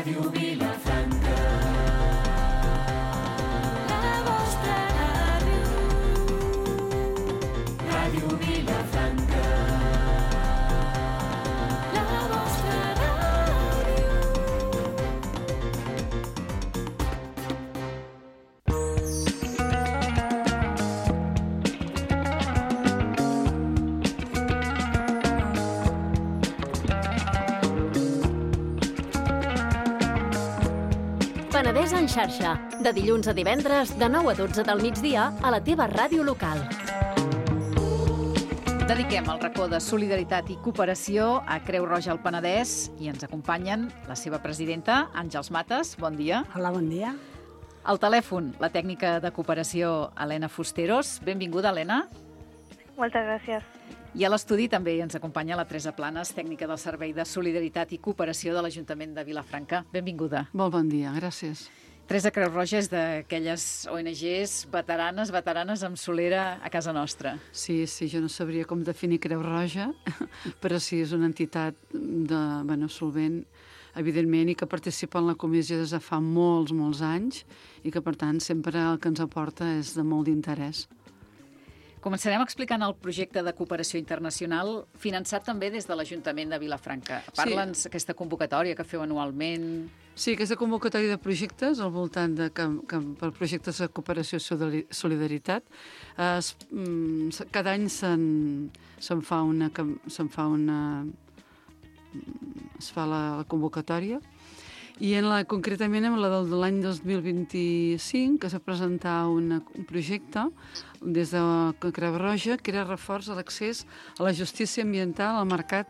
Ràdio Vilafranca. La vostra ràdio. Ràdio Vilafranca. La vostra ràdio. Penedès en xarxa, de dilluns a divendres, de 9 a 12 del migdia, a la teva ràdio local. Dediquem el racó de solidaritat i cooperació a Creu Roja al Penedès i ens acompanyen la seva presidenta, Àngels Mates. Bon dia. Hola, bon dia. Al telèfon, la tècnica de cooperació, Helena Fusteros. Benvinguda, Helena. Moltes gràcies. I a l'estudi també ens acompanya la Teresa Planes, tècnica del Servei de Solidaritat i Cooperació de l'Ajuntament de Vilafranca. Benvinguda. Molt bon dia, gràcies. Teresa, Creu Roja és d'aquelles ONGs veteranes amb solera a casa nostra. Sí, jo no sabria com definir Creu Roja, però sí, és una entitat solvent, evidentment, i que participa en la comissió des de fa molts anys i que, per tant, sempre el que ens aporta és de molt d'interès. Començarem explicant el projecte de cooperació internacional finançat també des de l'Ajuntament de Vilafranca. Parla'ns aquesta convocatòria que feu anualment. Sí, aquesta convocatòria de projectes al voltant de per projectes de cooperació i solidaritat. Cada any es fa la convocatòria i concretament en la de l'any 2025 que s'ha presentat un projecte des de Creu Roja que era reforç a l'accés a la justícia ambiental al mercat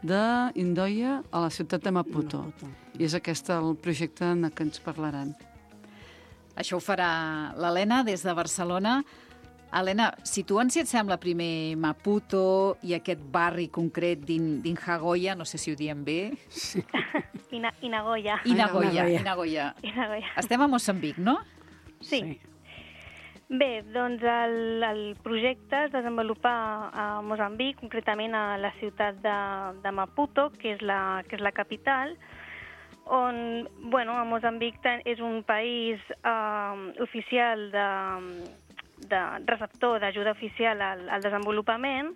d'Indoia a la ciutat de Maputo. I és aquest el projecte en què ens parlaran. Això ho farà l'Helena des de Barcelona. Helena, situa'ns, si et sembla, primer Maputo i aquest barri concret d'Inagoya, no sé si ho diem bé. Sí. Inagoya. Inagoya. Estem a Moçambic, no? Sí. Bé, doncs el projecte es desenvolupa a Moçambic, concretament a la ciutat de Maputo, que és la capital, on, a Moçambic és un país oficial de receptor d'ajuda oficial al desenvolupament,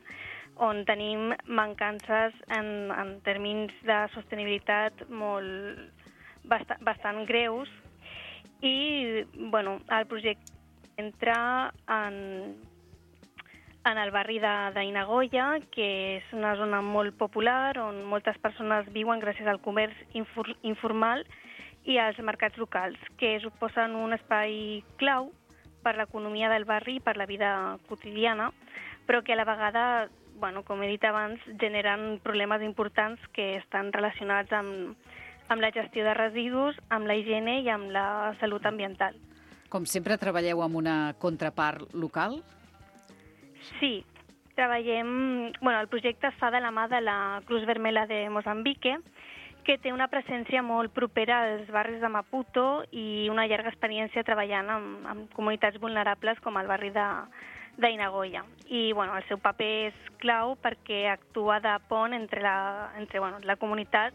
on tenim mancances en termes de sostenibilitat bastant greus. I el projecte entra en el barri d'Inagoya, que és una zona molt popular, on moltes persones viuen gràcies al comerç informal i als mercats locals, que suposen un espai clau per l'economia del barri i per la vida quotidiana, però que a la vegada, com he dit abans, generen problemes importants que estan relacionats amb la gestió de residus, amb la higiene i amb la salut ambiental. Com sempre, treballeu amb una contrapart local? Sí, treballem... el projecte es fa de la mà de la Cruz Vermella de Moçambique, que té una presència molt propera als barris de Maputo i una llarga experiència treballant amb comunitats vulnerables com el barri d'Inagoya. I el seu paper és clau perquè actua de pont entre la comunitat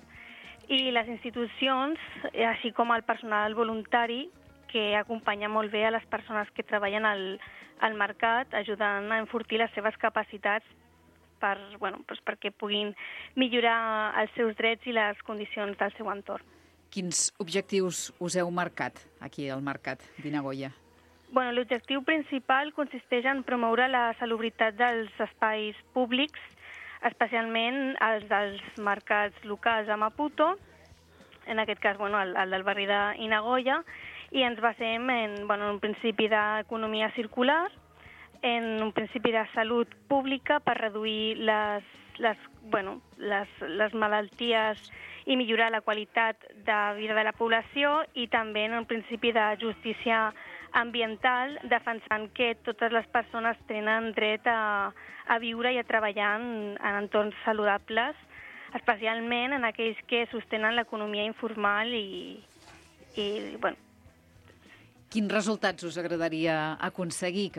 i les institucions, així com el personal voluntari que acompanya molt bé a les persones que treballen al mercat, ajudant a enfortir les seves capacitats perquè puguin millorar els seus drets i les condicions del seu entorn. Quins objectius us heu marcat aquí al mercat d'Inagoya? L'objectiu principal consisteix en promoure la salubritat dels espais públics, especialment els dels mercats locals a Maputo, en aquest cas el del barri d'Inagoya, i ens basem en un principi d'economia circular, en un principi de salut pública per reduir les malalties i millorar la qualitat de vida de la població, i també en un principi de justícia ambiental, defensant que totes les persones tenen dret a viure i a treballar en entorns saludables, especialment en aquells que sostenen l'economia informal i Quins resultats us agradaria aconseguir?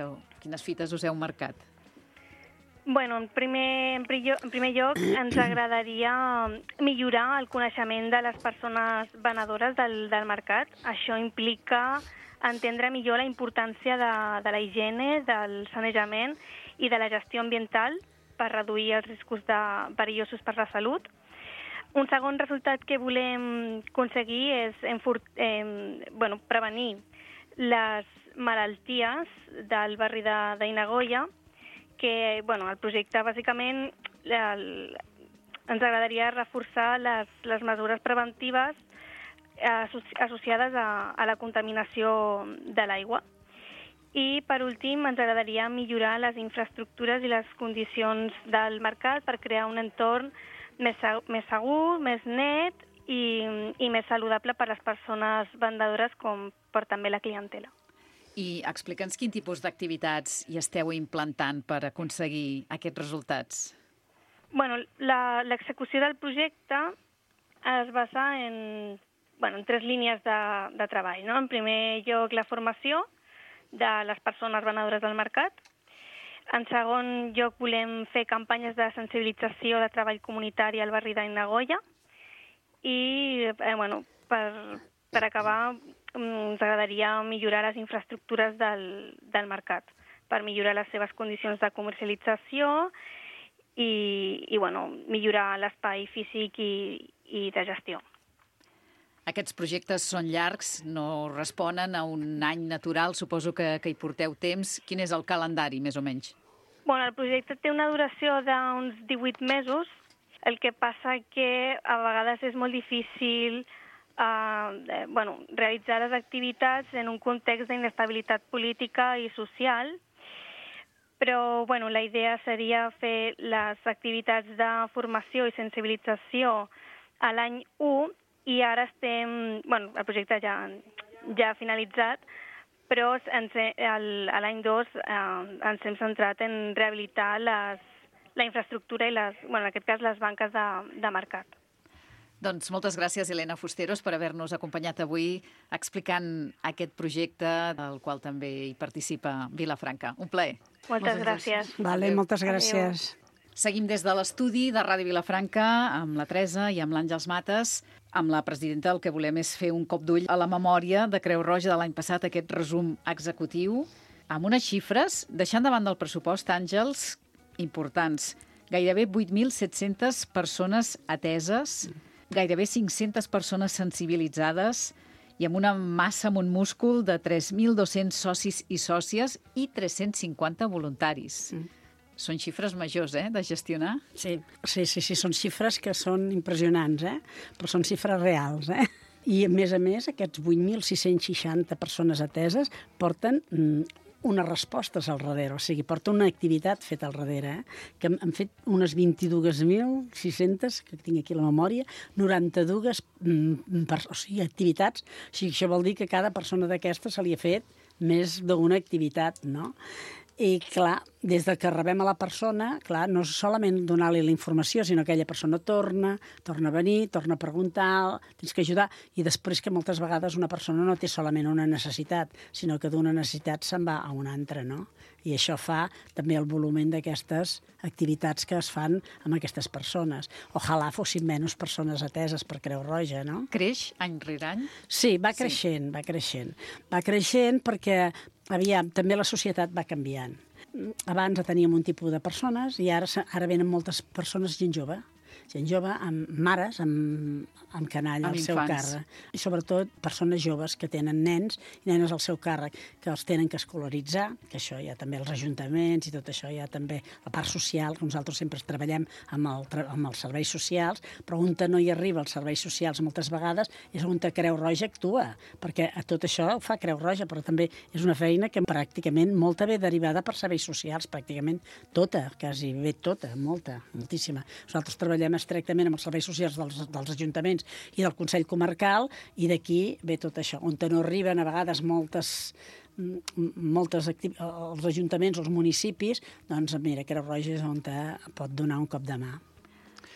Quines fites us heu marcat? Bueno, en primer lloc ens agradaria millorar el coneixement de les persones venedores del mercat. Això implica entendre millor la importància de la higiene, del sanejament i de la gestió ambiental per reduir els riscos perillosos per la salut. Un segon resultat que volem aconseguir és prevenir les malalties del barri d'Inagoya, que el projecte bàsicament ens agradaria reforçar les mesures preventives associades a la contaminació de l'aigua. I, per últim, ens agradaria millorar les infraestructures i les condicions del mercat per crear un entorn més segur, més net i més saludable per a les persones vendedores com per també la clientela. I explica'ns quin tipus d'activitats hi esteu implantant per aconseguir aquests resultats. Bueno, l'execució del projecte es basa en 3 línies de treball. No? En primer lloc, la formació de les persones venedores del mercat. En segon lloc, volem fer campanyes de sensibilització de treball comunitari al barri d'Inagoya. I, per acabar, ens agradaria millorar les infraestructures del mercat, per millorar les seves condicions de comercialització i millorar l'espai físic i de gestió. Aquests projectes són llargs, no responen a un any natural, suposo que hi porteu temps. Quin és el calendari, més o menys? El projecte té una duració d'uns 18 mesos, el que passa que a vegades és molt difícil realitzar les activitats en un context d'inestabilitat política i social, però la idea seria fer les activitats de formació i sensibilització a l'any 1 i ara estem... el projecte ja ha finalitzat, però a l'any 2 ens hem centrat en rehabilitar la infraestructura i, en aquest cas, les banques de mercat. Doncs moltes gràcies, Helena Fusteros, per haver-nos acompanyat avui explicant aquest projecte, del qual també hi participa Vilafranca. Un plaer. Moltes gràcies. Vale, moltes gràcies. Seguim des de l'estudi de Ràdio Vilafranca amb la Teresa i amb l'Àngels Mates. Amb la presidenta el que volem és fer un cop d'ull a la memòria de Creu Roja de l'any passat, aquest resum executiu, amb unes xifres, deixant davant del pressupost, Àngels, importants. Gairebé 8.700 persones ateses, gairebé 500 persones sensibilitzades i amb una massa, amb un múscul de 3.200 socis i sòcies i 350 voluntaris. Són xifres majors, de gestionar? Sí, són xifres que són impressionants, però són xifres reals, I, a més, aquests 8.660 persones ateses porten unes respostes al darrere, o sigui, porta una activitat feta al darrere, que han fet unes 22.600, que tinc aquí la memòria, 92 activitats, o sigui, això vol dir que cada persona d'aquestes se li ha fet més d'una activitat, no? I, clar, des que rebem a la persona, clar, no és solament donar-li la informació, sinó que aquella persona torna a venir, torna a preguntar, tens que ajudar, i després que moltes vegades una persona no té solament una necessitat, sinó que d'una necessitat se'n va a una altra, no? I això fa també el volum d'aquestes activitats que es fan amb aquestes persones. Ojalà fossin menys persones ateses per Creu Roja, no? Creix any rere any? Sí, va creixent. Va creixent perquè, aviam, també la societat va canviant. Abans teníem un tipus de persones i ara venen moltes persones, gent jove amb mares, amb canalla al seu càrrec. I sobretot persones joves que tenen nens i nenes al seu càrrec, que els tenen que escolaritzar, que això hi ha també els ajuntaments i tot això, hi ha també la part social, que nosaltres sempre treballem amb els serveis socials, però on no hi arriba els serveis socials moltes vegades és on Creu Roja actua, perquè a tot això ho fa Creu Roja, però també és una feina que pràcticament molta ve derivada per serveis socials, pràcticament tota, quasi bé tota, moltíssima. Nosaltres treballem estrictament amb els serveis socials dels ajuntaments i del Consell Comarcal, i d'aquí ve tot això, on no arriben a vegades els ajuntaments, els municipis, doncs mira, Creu Roja és on pot donar un cop de mà.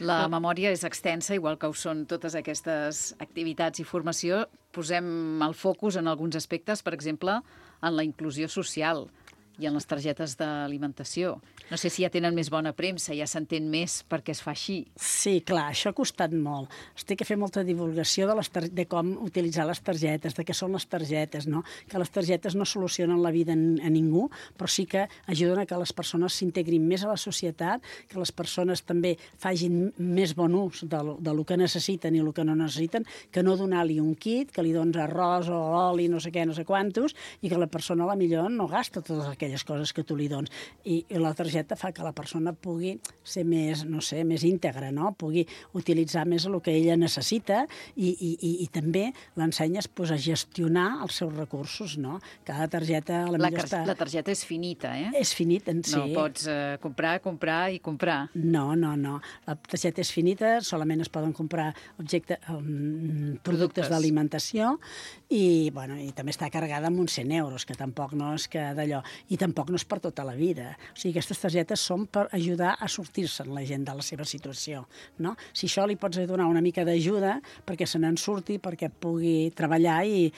La memòria és extensa, igual que ho són totes aquestes activitats i formació. Posem el focus en alguns aspectes, per exemple, en la inclusió social. i en les targetes d'alimentació. No sé si ja tenen més bona premsa, ja s'entén més perquè es fa així. Sí, clar, això ha costat molt. Es té que fer molta divulgació de com utilitzar les targetes, de què són les targetes, no? Que les targetes no solucionen la vida a ningú, però sí que ajuden a que les persones s'integrin més a la societat, que les persones també facin més bon ús de lo que necessiten i el que no necessiten, que no donar-li un kit, que li dones arròs o oli, no sé què, no sé quantos, i que la persona a la millor no gasta totes aquelles coses que tu li dones. I la targeta fa que la persona pugui ser més, no sé, més íntegra, no? Pugui utilitzar més el que ella necessita i també l'ensenyes a gestionar els seus recursos, no? Cada targeta a la millor està... La targeta és finita, eh? És finita, sí. No pots comprar i comprar. No. La targeta és finita, solament es poden comprar productes d'alimentació i també està carregada amb uns 100 euros, que tampoc no és que d'allò. I tampoc no és per tota la vida. O sigui, aquestes targetes són per ajudar a sortir-se'n la gent de la seva situació, no? Si això li pots donar una mica d'ajuda perquè se n'en surti, perquè pugui treballar i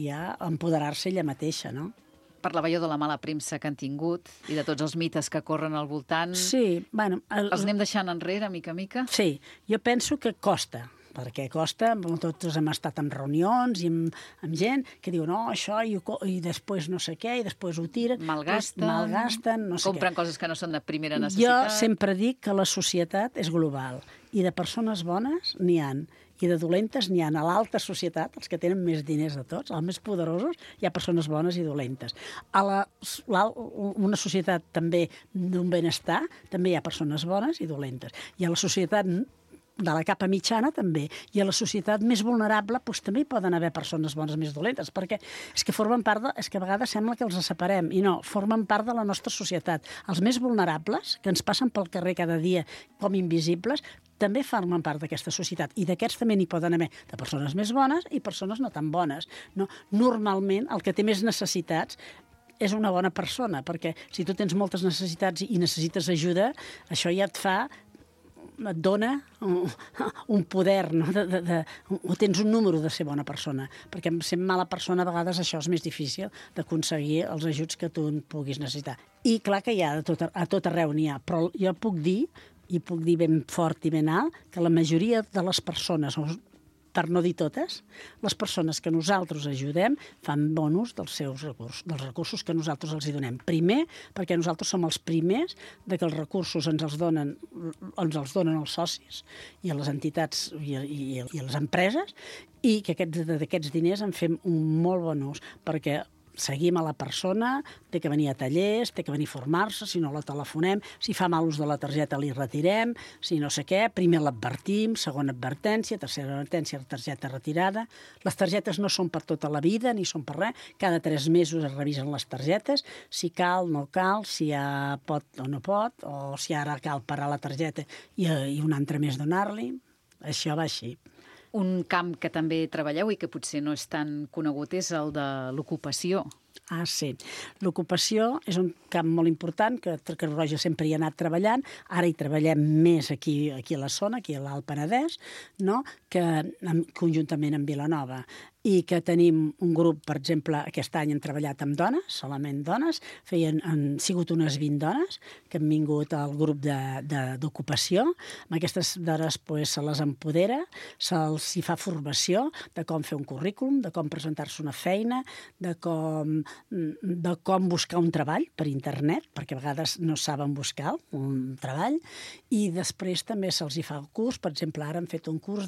ja empoderar-se ella mateixa, no? Parlava jo de la mala premsa que han tingut i de tots els mites que corren al voltant. Sí, bueno... Els anem deixant enrere, mica a mica? Sí, jo penso que costa, perquè costa, tots hem estat en reunions i amb gent que diu no, això, i després no sé què, i després ho tiren. Malgasten, no sé què. Compren coses que no són de primera necessitat. Jo sempre dic que la societat és global, i de persones bones n'hi han, i de dolentes n'hi ha. A l'alta societat, els que tenen més diners de tots, els més poderosos, hi ha persones bones i dolentes. A una societat també d'un benestar, també hi ha persones bones i dolentes. I a la societat de la capa mitjana també, i a la societat més vulnerable també hi poden haver persones bones més dolentes, perquè és que formen part és que a vegades sembla que els separem, i no, formen part de la nostra societat. Els més vulnerables, que ens passen pel carrer cada dia com invisibles, també formen part d'aquesta societat, i d'aquests també n'hi poden haver de persones més bones i persones no tan bones. No? Normalment, el que té més necessitats és una bona persona, perquè si tu tens moltes necessitats i necessites ajuda, això ja et dona un poder, no? O tens un número de ser bona persona, perquè sent mala persona a vegades això és més difícil d'aconseguir els ajuts que tu puguis necessitar. I clar que hi ha, a tot arreu n'hi ha, però jo puc dir ben fort i ben alt, que la majoria de les persones, per no dir totes, les persones que nosaltres ajudem fan bon ús dels seus recursos, dels recursos que nosaltres els hi donem. Primer, perquè nosaltres som els primers de que els recursos ens els donen els socis i a les entitats i a les empreses, i que d'aquests diners en fem un molt bon ús, perquè seguim a la persona, té que venir a tallers, té que venir a formar-se, si no la telefonem, si fa mal ús de la targeta li retirem, si no sé què, primer l'advertim, segona advertència, tercera advertència, targeta retirada. Les targetes no són per tota la vida, ni són per res, cada 3 mesos es revisen les targetes, si cal, no cal, si ja pot o no pot, o si ara cal parar la targeta i un altre més donar-li. Això va així. Un camp que també treballeu i que potser no és tan conegut és el de l'ocupació. Ah, sí. L'ocupació és un camp molt important, que Creu Roja sempre hi ha anat treballant. Ara hi treballem més aquí a la zona, aquí a l'Alt Penedès, no? Que conjuntament amb Vilanova. I que tenim un grup, per exemple, aquest any han treballat amb dones, solament dones, han sigut unes 20 dones que han vingut al grup d'ocupació. Amb aquestes dones se les empodera, se'ls hi fa formació de com fer un currículum, de com presentar-se una feina, de com buscar un treball per internet, perquè a vegades no saben buscar un treball, i després també se'ls hi fa el curs. Per exemple, ara han fet un curs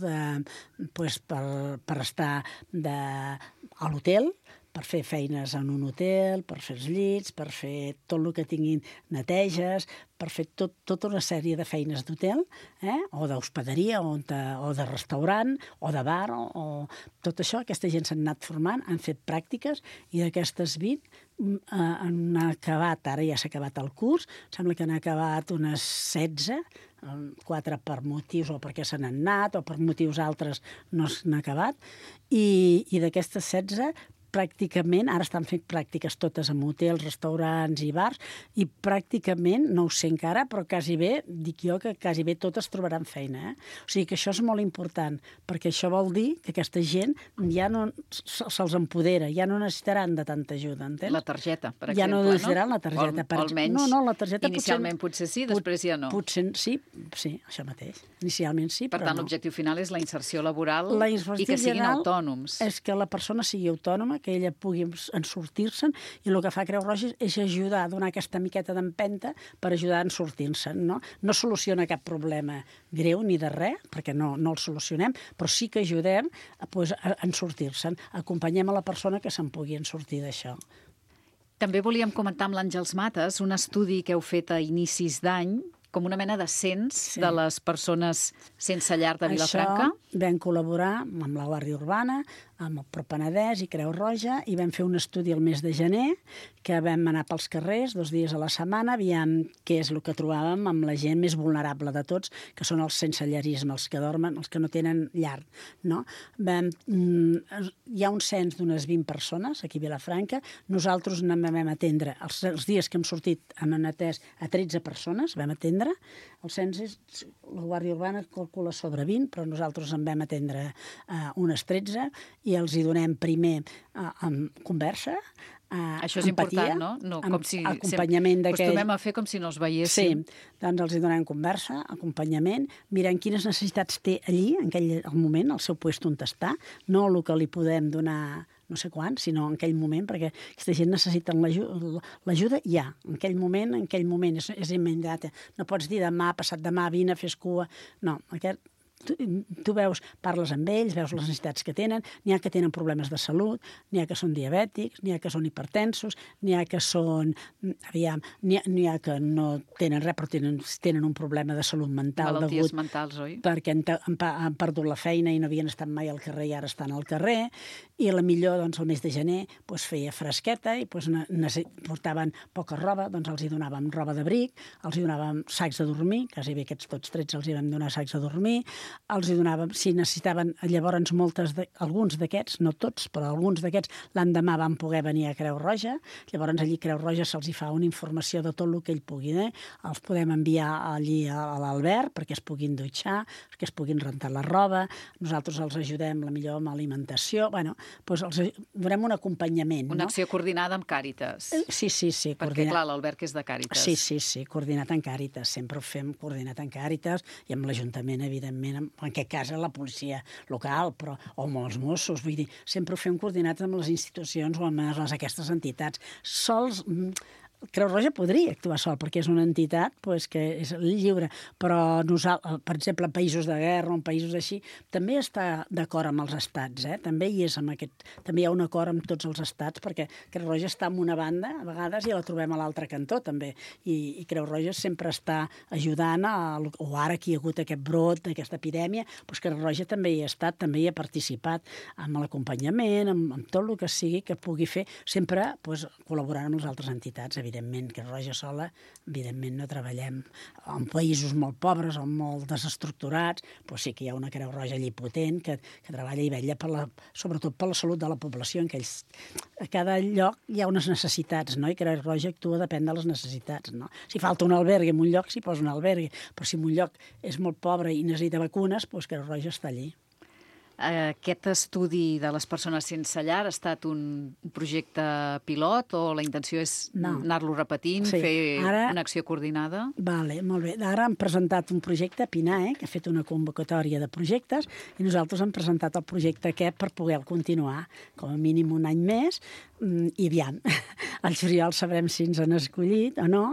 per estar a l'hotel, per fer feines en un hotel, per fer els llits, per fer tot el que tinguin neteges, per fer tota una sèrie de feines d'hotel, o d'hospederia, o de restaurant, o de bar, o tot això. Aquesta gent s'han anat formant, han fet pràctiques, i d'aquestes 20 han acabat, ara ja s'ha acabat el curs, sembla que han acabat unes 16, 4 per motius o perquè se n'han anat, o per motius altres no s'han acabat, i d'aquestes 16, pràcticament, ara estan fent pràctiques totes en hotels, restaurants i bars, i pràcticament, no ho sé encara, però quasi bé, dic jo que quasi bé totes trobaran feina. O sigui que això és molt important, perquè això vol dir que aquesta gent ja no se'ls empodera, ja no necessitaran de tanta ajuda, entens? La targeta, per ja exemple, no necessitaran la targeta. O almenys, no, la targeta inicialment potser sí, després ja no. Potser sí, això mateix. Inicialment sí, per però tant, no. l'objectiu final és la inserció laboral La i inserció que siguin general autònoms. És que la persona sigui autònoma, que ella pugui en sortir-se'n, i el que fa Creu Roja és ajudar a donar aquesta miqueta d'empenta per ajudar a sortir-se'n. No soluciona cap problema greu ni de res, perquè no el solucionem, però sí que ajudem a sortir-se'n. Acompanyem a la persona que se'n pugui sortir d'això. També volíem comentar amb l'Àngels Mates un estudi que heu fet a inicis d'any, com una mena de cens de les persones sense llar de Vilafranca. Això vam col·laborar amb la Guàrdia Urbana, amb el Propenedès i Creu Roja, i vam fer un estudi el mes de gener, que vam anar pels carrers 2 dies a la setmana, aviam què és el que trobàvem amb la gent més vulnerable de tots, que són els sense llarisme, els que dormen, els que no tenen llar. No? Hi ha un cens d'unes 20 persones aquí a Vilafranca. Nosaltres vam atendre, els dies que hem sortit, hem atès a 13 persones, vam atendre. El cens la Guàrdia Urbana calcula sobre 20, però nosaltres en vam atendre unes 13, i els hi donem primer amb conversa, això és empatia, important, no? Com si acompanyament d'aquell... Acostumem a fer com si no els veiéssim. Sí, doncs els hi donem conversa, acompanyament, mirant quines necessitats té allí, en aquell moment, al seu lloc on està, no el que li podem donar no sé quan, sinó en aquell moment, perquè aquesta gent necessita l'ajuda ja, en aquell moment és immediata. No pots dir demà, passat demà, vine, fes cua... No, tu veus, parles amb ells, veus les necessitats que tenen, n'hi ha que tenen problemes de salut, n'hi ha que són diabètics, n'hi ha que són hipertensos, n'hi ha que són, n'hi ha que no tenen res, però tenen un problema de salut mental. Malalties mentals, oi? Perquè han perdut la feina i no havien estat mai al carrer i ara estan al carrer, i la millor, doncs, el mes de gener feia fresqueta i portaven poca roba, doncs els hi donàvem roba d'abric, els hi donàvem sacs de dormir, quasi bé aquests tots 13 els hi vam donar sacs de dormir, els hi donàvem, si necessitaven, llavors alguns d'aquests, no tots, però alguns d'aquests l'endemà van poder venir a Creu Roja, llavors allí Creu Roja se'ls hi fa una informació de tot el que ell pugui, els podem enviar allí a l'Albert perquè es puguin dutxar, perquè es puguin rentar la roba, nosaltres els ajudem la millor amb alimentació, doncs els donem un acompanyament. Una acció coordinada amb Càritas. Sí. Perquè, clar, l'Albert que és de Càritas. Sí, coordinat amb Càritas, sempre ho fem coordinat amb Càritas i amb l'Ajuntament, evidentment, en aquest cas la policia local, o amb els Mossos, vull dir, sempre ho fem coordinats amb les institucions o amb aquestes entitats. Sols... Creu Roja podria actuar sol, perquè és una entitat que és lliure, però nosaltres, per exemple, en països de guerra o en països així, també està d'acord amb els estats, també hi ha un acord amb tots els estats, perquè Creu Roja està en una banda, a vegades, i la trobem a l'altre cantó, també, i Creu Roja sempre està ajudant, o ara que hi ha hagut aquest brot, aquesta epidèmia, doncs Creu Roja també hi ha estat, també hi ha participat amb l'acompanyament, amb tot el que sigui que pugui fer, sempre col·laborant amb les altres entitats, evidentment, Creu Roja sola, evidentment no treballem en països molt pobres o molt desestructurats, però sí que hi ha una Creu Roja allí potent que treballa i vetlla sobretot per la salut de la població, en què a cada lloc hi ha unes necessitats, no? I Creu Roja actua depèn de les necessitats, no? Si falta un albergue en un lloc, s'hi posa un albergue, però si en un lloc és molt pobre i necessita vacunes, doncs Creu Roja està allí. Aquest estudi de les persones sense llar ha estat un projecte pilot o la intenció és anar-lo repetint, fer una acció coordinada? Vale, molt bé. Ara hem presentat un projecte, PINAE, que ha fet una convocatòria de projectes, i nosaltres hem presentat el projecte aquest per poder continuar com a mínim un any més, i aviam, al juliol sabrem si ens han escollit o no,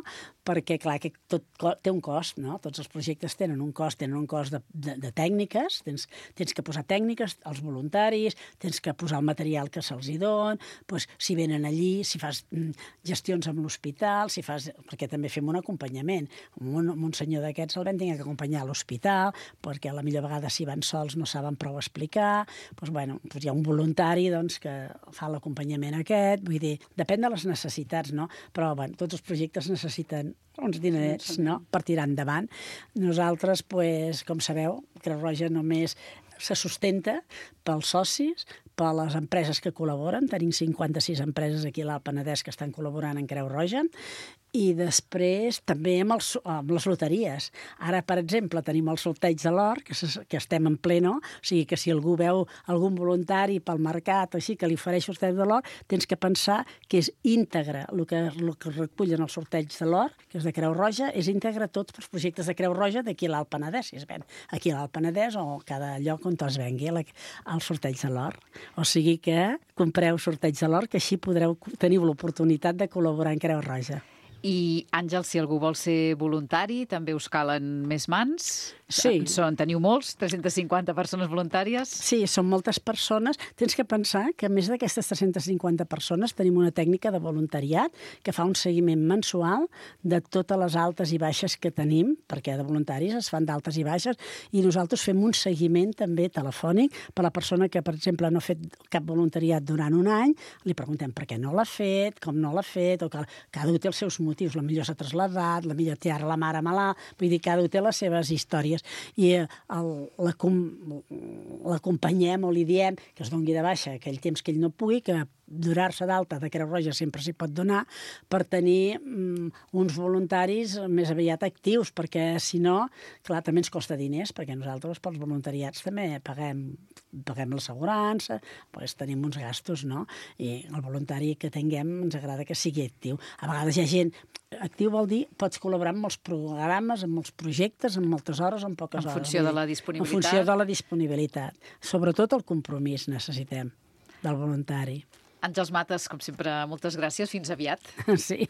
perquè, clar, que tot té un cost, no? Tots els projectes tenen un cost de tècniques, tens que posar tècniques als voluntaris, tens que posar el material que se'ls hi don, doncs, si venen allí, si fas gestions amb l'hospital, perquè també fem un acompanyament. Un senyor d'aquests el vam tenir que acompanyar a l'hospital, perquè a la millor vegada si van sols no saben prou explicar, doncs hi ha un voluntari que fa l'acompanyament aquest, vull dir, depèn de les necessitats, no? Però tots els projectes necessiten uns diners, no?, per tirar endavant. Nosaltres, com sabeu, Creu Roja només se sustenta pels socis, per les empreses que col·laboren. Tenim 56 empreses aquí a l'Alt Penedès que estan col·laborant en Creu Roja. I després també amb les loteries. Ara, per exemple, tenim el sorteig de l'or, que estem en pleno, o sigui que si algú veu algun voluntari pel mercat o així que li ofereix el sorteig de l'or, tens que pensar que és íntegre. El que recullen el sorteig de l'or, que és de Creu Roja, és íntegre tots els projectes de Creu Roja d'aquí a l'Alt Penedès, si es ven aquí a l'Alt Penedès o cada lloc on es vengui el sorteig de l'or. O sigui que compreu sorteig de l'or, que així teniu l'oportunitat de col·laborar en Creu Roja. I, Àngel, si algú vol ser voluntari, també us calen més mans? Sí. Teniu molts? 350 persones voluntàries? Sí, són moltes persones. Tens que pensar que a més d'aquestes 350 persones tenim una tècnica de voluntariat que fa un seguiment mensual de totes les altes i baixes que tenim, perquè de voluntaris es fan d'altes i baixes, i nosaltres fem un seguiment també telefònic per a la persona que, per exemple, no ha fet cap voluntariat durant un any, li preguntem per què no l'ha fet, com no l'ha fet, o que cada un té els seus motius. La millor s'ha trasladat, la millor té ara la mare malalt, vull dir, cada un té les seves històries. I l'acompanyem o li diem que es doni de baixa aquell temps que ell no pugui, que donar-se d'alta de Creu Roja sempre s'hi pot donar per tenir uns voluntaris més aviat actius, perquè si no, clar, també ens costa diners, perquè nosaltres pels voluntariats també paguem l'assegurança, doncs tenim uns gastos, no? I el voluntari que tinguem ens agrada que sigui actiu. A vegades hi ha gent actiu, vol dir, pots col·laborar amb molts programes, amb molts projectes, amb moltes hores, amb poques hores. En funció de la disponibilitat. En funció de la disponibilitat. Sobretot el compromís necessitem del voluntari. Àngels Mates, com sempre, moltes gràcies. Fins aviat. Sí.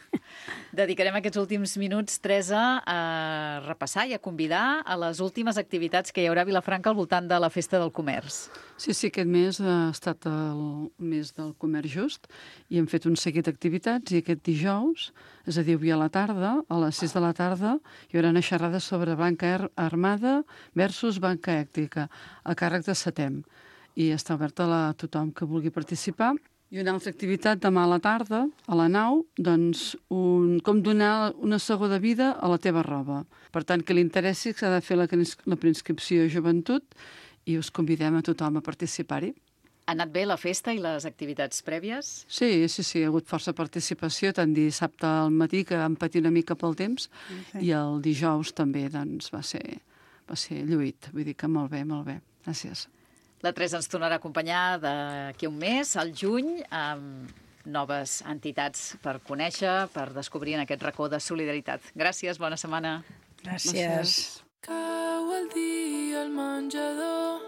Dedicarem aquests últims minuts, Teresa, a repassar i a convidar a les últimes activitats que hi haurà a Vilafranca al voltant de la Festa del Comerç. Sí, aquest mes ha estat el mes del comerç just i hem fet un seguit d'activitats i aquest dijous, és a dir, avui a la tarda, a les 6 de la tarda, hi haurà una xerrada sobre banca armada versus banca ètica, a càrrec de Setem. I està oberta a tothom que vulgui participar. I una altra activitat demà a la tarda, a la nau, doncs com donar una segona vida a la teva roba. Per tant, que li interessi, s'ha de fer la preinscripció a joventut i us convidem a tothom a participar-hi. Ha anat bé la festa i les activitats prèvies? Sí, hi ha hagut força participació, tant dissabte al matí, que vam patir una mica pel temps, i el dijous també doncs, va ser lluït. Vull dir que molt bé, molt bé. Gràcies. La Teresa ens tornarà a acompanyar d'aquí un mes, al juny, amb noves entitats per conèixer, per descobrir en aquest racó de solidaritat. Gràcies, bona setmana. Gràcies. Cau el dia al menjador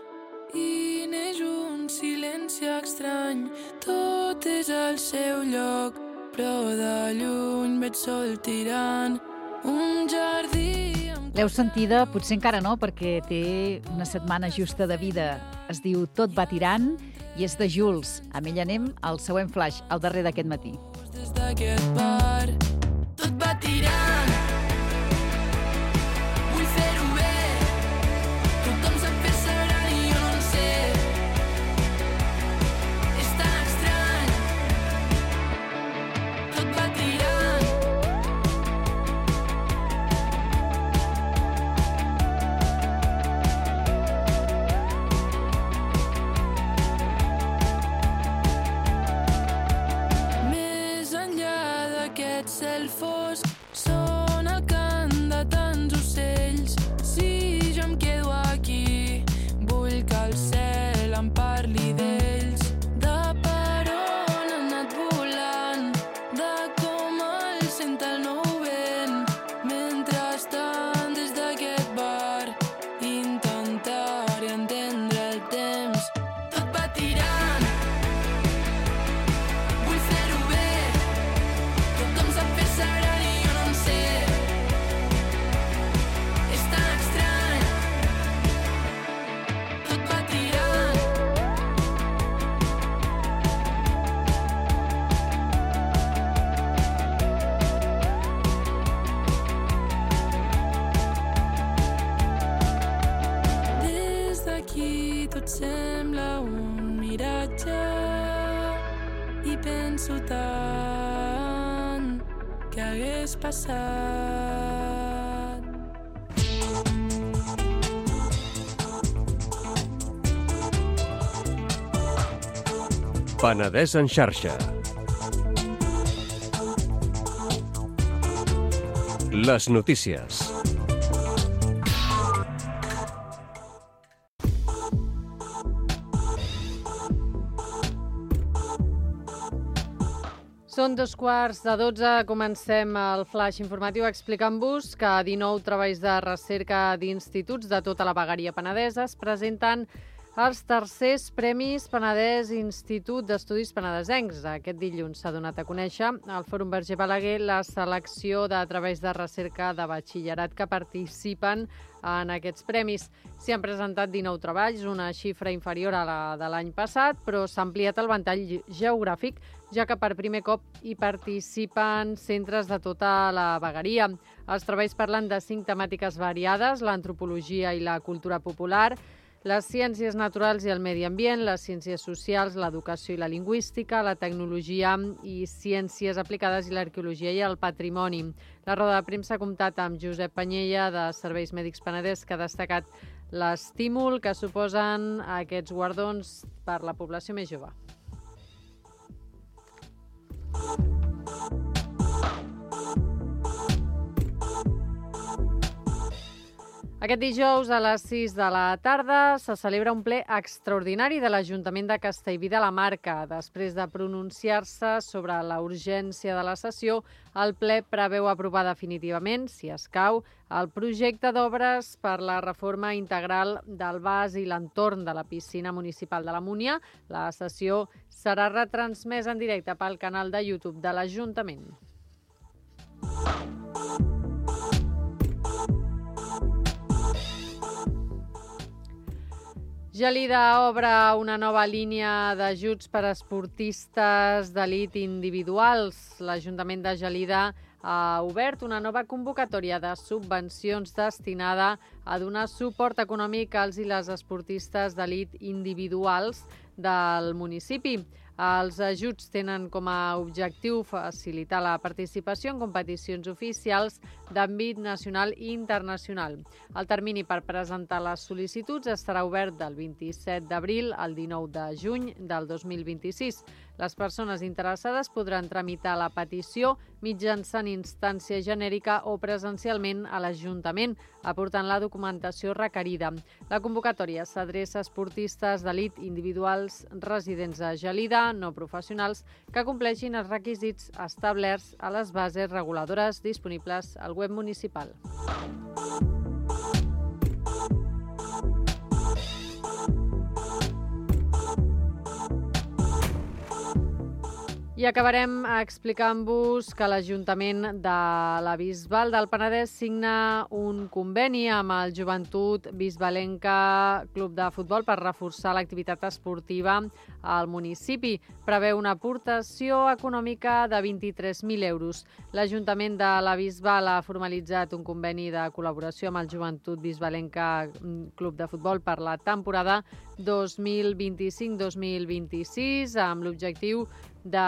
i neix un silenci estrany. Tot és al seu lloc, però de lluny veig sol tirant un jardí. L'heu sentida? Potser encara no, perquè té una setmana justa de vida. Es diu Tot va tirant i és de Jules. Amb ell anem al següent flash, al darrer d'aquest matí. Des d'aquest bar, tot va tirant. Vull fer-ho bé. Tothom sap fer-se gran i jo no en sé. És tan estrany. Tot va tirant. Cel fosc, són el cant de tants ocells. Si jo em quedo aquí, vull que el cel em parli d'ells. De per on han anat volant, de com el sent el nou vent. Mentrestant, des d'aquest bar, intentaré entendre el temps. Tot va tirant. Vull fer-ho bé. Tothom sap fer-se gran i jo no en sé. És tan estrany. Tot va tirant. Des d'aquí tot sembla un miratge i penso tant que hagués passat. Penedès en xarxa. Les notícies. Són 12:15, comencem el flash informatiu explicant-vos que 19 treballs de recerca d'instituts de tota la vegueria penedesa es presenten els tercers Premis Penedès Institut d'Estudis Penedesencs. Aquest dilluns s'ha donat a conèixer al Fòrum Verger Balaguer la selecció de treballs de recerca de batxillerat que participen en aquests premis. S'hi han presentat 19 treballs, una xifra inferior a la de l'any passat, però s'ha ampliat el ventall geogràfic, ja que per primer cop hi participen centres de tota la vegueria. Els treballs parlen de 5 temàtiques variades: l'antropologia i la cultura popular, les ciències naturals i el medi ambient, les ciències socials, l'educació i la lingüística, la tecnologia i ciències aplicades i l'arqueologia i el patrimoni. La roda de premsa ha comptat amb Josep Panyella, de Serveis Mèdics Penedès, que ha destacat l'estímul que suposen aquests guardons per la població més jove. Aquest dijous a les 6 de la tarda se celebra un ple extraordinari de l'Ajuntament de Castellví de la Marca. Després de pronunciar-se sobre la urgència de la sessió, el ple preveu aprovar definitivament, si escau, el projecte d'obres per la reforma integral del bas i l'entorn de la piscina municipal de la Múnia. La sessió serà retransmesa en directe pel canal de YouTube de l'Ajuntament. Gelida obre una nova línia d'ajuts per a esportistes d'elit individuals. L'Ajuntament de Gelida ha obert una nova convocatòria de subvencions destinada a donar suport econòmic als i les esportistes d'elit individuals del municipi. Els ajuts tenen com a objectiu facilitar la participació en competicions oficials d'àmbit nacional i internacional. El termini per presentar les sol·licituds estarà obert del 27 d'abril al 19 de juny del 2026. Les persones interessades podran tramitar la petició mitjançant instància genèrica o presencialment a l'Ajuntament, aportant la documentació requerida. La convocatòria s'adreça a esportistes d'elit individuals residents a Gelida, no professionals, que compleixin els requisits establerts a les bases reguladores disponibles al web municipal. I acabarem explicant-vos que l'Ajuntament de la Bisbal del Penedès signa un conveni amb el Joventut Bisbalenca Club de Futbol per reforçar l'activitat esportiva al municipi. Preveu una aportació econòmica de 23.000 euros. L'Ajuntament de la Bisbal ha formalitzat un conveni de col·laboració amb el Joventut Bisbalenca Club de Futbol per la temporada 2025-2026 amb l'objectiu de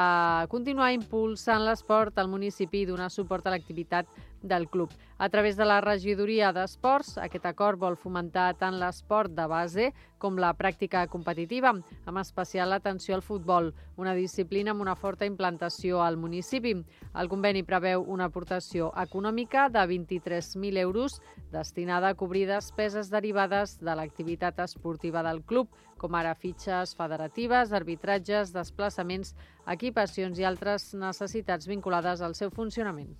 continuar impulsant l'esport al municipi i donar suport a l'activitat del club. A través de la regidoria d'esports, aquest acord vol fomentar tant l'esport de base com la pràctica competitiva, amb especial atenció al futbol, una disciplina amb una forta implantació al municipi. El conveni preveu una aportació econòmica de 23.000 euros destinada a cobrir despeses derivades de l'activitat esportiva del club, com ara fitxes federatives, arbitratges, desplaçaments, equipacions i altres necessitats vinculades al seu funcionament.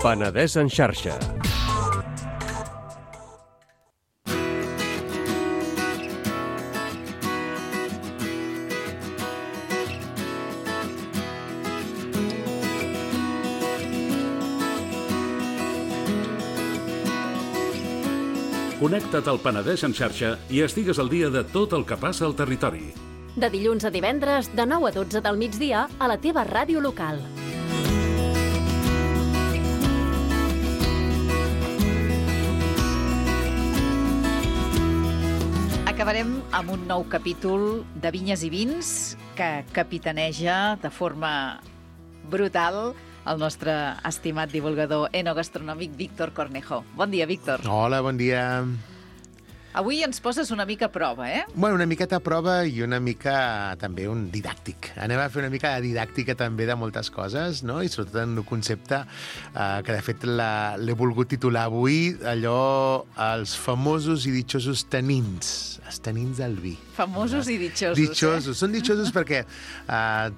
Penedès en xarxa. Connecta't al Penedès en xarxa i estigues al dia de tot el que passa al territori. De dilluns a divendres, de 9 a 12 del migdia, a la teva ràdio local. acabarem amb un nou capítol de Vinyes i Vins que capitaneja de forma brutal el nostre estimat divulgador enogastronòmic Víctor Cornejo. Bon dia, Víctor. Hola, bon dia. Avui ens poses una mica a prova, eh? Bueno, una miqueta a prova i una mica també un didàctic. Anem a fer una mica de didàctica també de moltes coses, no? I sobretot en un concepte que de fet l'he volgut titular avui, allò, els famosos i ditxosos tanins. Els tanins del vi. Famosos i ditxosos. Ditxosos. Són ditxosos perquè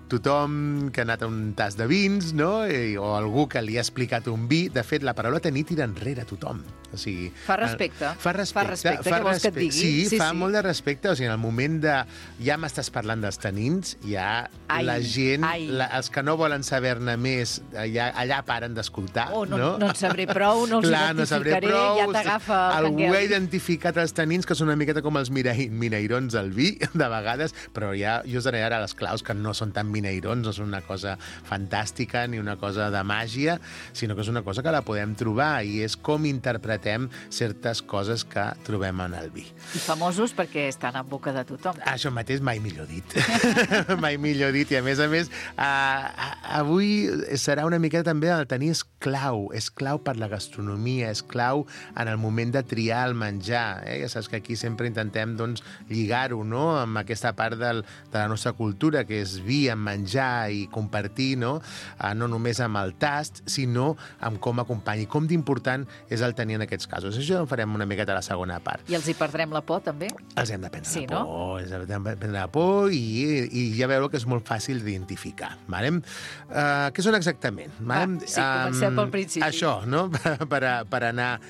tothom que ha anat a un tas de vins, no? O algú que li ha explicat un vi, de fet, la paraula tenir tira enrere a tothom. O sigui, fa respecte. Fa respecte. Què vols que et digui? Sí, fa molt de respecte. O sigui, en el moment de... Ja m'estàs parlant dels tanins, ja la gent, els que no volen saber-ne més, allà paren d'escoltar, no? No en sabré prou, no els identificaré, ja t'agafa el canguel. Algú ha identificat els tanins, que són una miqueta com els mineirons del vi, de vegades, però ja jo us donaré ara les claus, que no són tan mineirons, no són una cosa fantàstica ni una cosa de màgia, sinó que és una cosa que la podem trobar i és com interpretem certes coses que trobem en el vi. I famosos perquè estan en boca de tothom. Això mateix mai millor dit. Mai millor dit. I a més, avui serà una miqueta també el tenir és clau per la gastronomia, és clau en el moment de triar el menjar. Ja saps que aquí sempre intentem lligar-ho, no?, amb aquesta part de la nostra cultura, que és vi amb menjar i compartir, no només amb el tast, sinó amb com acompanya i com d'important és el tenir en aquests casos. Això ho farem una miqueta a la segona part. I els hi perdrem la por, també? Els hem de prendre la por. Els hem de prendre la por i ja veureu que és molt fàcil d'identificar. Què són exactament? Sí, comencem pel principi. Això, no?, per anar